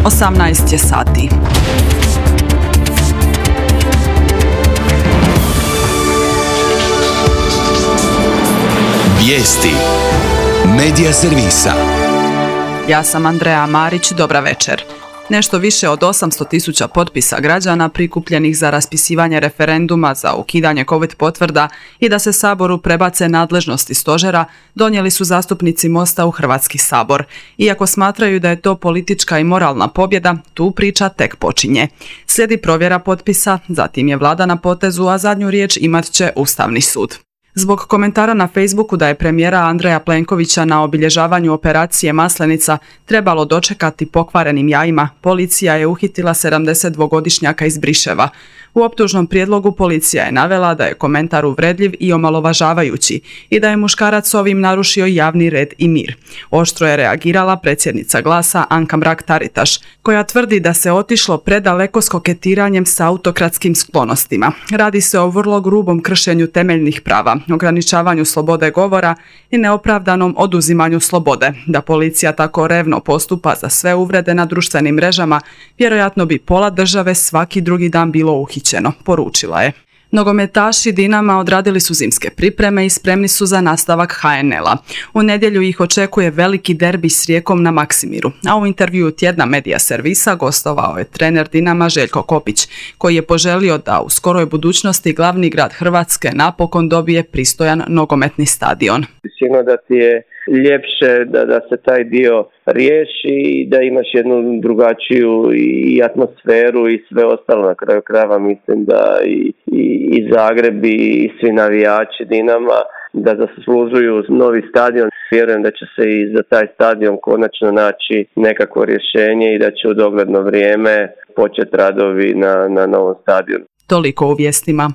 18 je sati. Vijesti Medija servisa. Ja sam Andreja Marić, dobra večer. Nešto više od 800.000 potpisa građana prikupljenih za raspisivanje referenduma za ukidanje COVID potvrda i da se Saboru prebace nadležnosti stožera donijeli su zastupnici Mosta u Hrvatski sabor. Iako smatraju da je to politička i moralna pobjeda, tu priča tek počinje. Slijedi provjera potpisa, zatim je vlada na potezu, a zadnju riječ imat će Ustavni sud. Zbog komentara na Facebooku da je premijera Andreja Plenkovića na obilježavanju operacije Maslenica trebalo dočekati pokvarenim jajima, policija je uhitila 72-godišnjaka iz Briševa. U optužnom prijedlogu policija je navela da je komentar uvredljiv i omalovažavajući i da je muškarac ovim narušio javni red i mir. Oštro je reagirala predsjednica Glasa Anka Mrak-Taritaš, koja tvrdi da se otišlo predaleko s koketiranjem s autokratskim sklonostima. Radi se o vrlo grubom kršenju temeljnih prava, ograničavanju slobode govora i neopravdanom oduzimanju slobode. Da policija tako revno postupa za sve uvrede na društvenim mrežama, vjerojatno bi pola države svaki drugi dan bilo uhićeno, poručila je. Nogometaši Dinama odradili su zimske pripreme i spremni su za nastavak HNL-a. U nedjelju ih očekuje veliki derbi s Rijekom na Maksimiru, a u intervjuu tjedna Medija servisa gostovao je trener Dinama Željko Kopić, koji je poželio da u skoroj budućnosti glavni grad Hrvatske napokon dobije pristojan nogometni stadion. Sigurno da ti je ljepše da se taj dio riješi i da imaš jednu drugačiju i atmosferu i sve ostalo. Na kraju krajeva mislim da i Zagreb i svi navijači Dinama da zaslužuju novi stadion. Vjerujem da će se i za taj stadion konačno naći nekakvo rješenje i da će u dogledno vrijeme početi radovi na novom stadionu. Toliko u vijestima.